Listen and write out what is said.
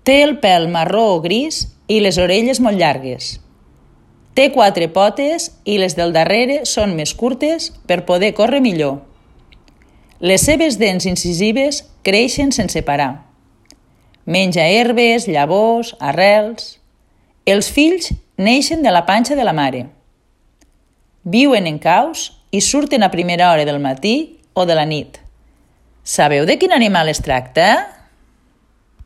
Té el pèl marró o gris i les orelles molt llargues. Té 4 potes i les del darrere són més curtes per poder córrer millor. Les seves dents incisives creixen sense parar. Menja herbes, llavors, arrels. Els fills neixen de la panxa de la mare. Viuen en caus i surten a primera hora del matí o de la nit. Sabeu de quin animal es tracta?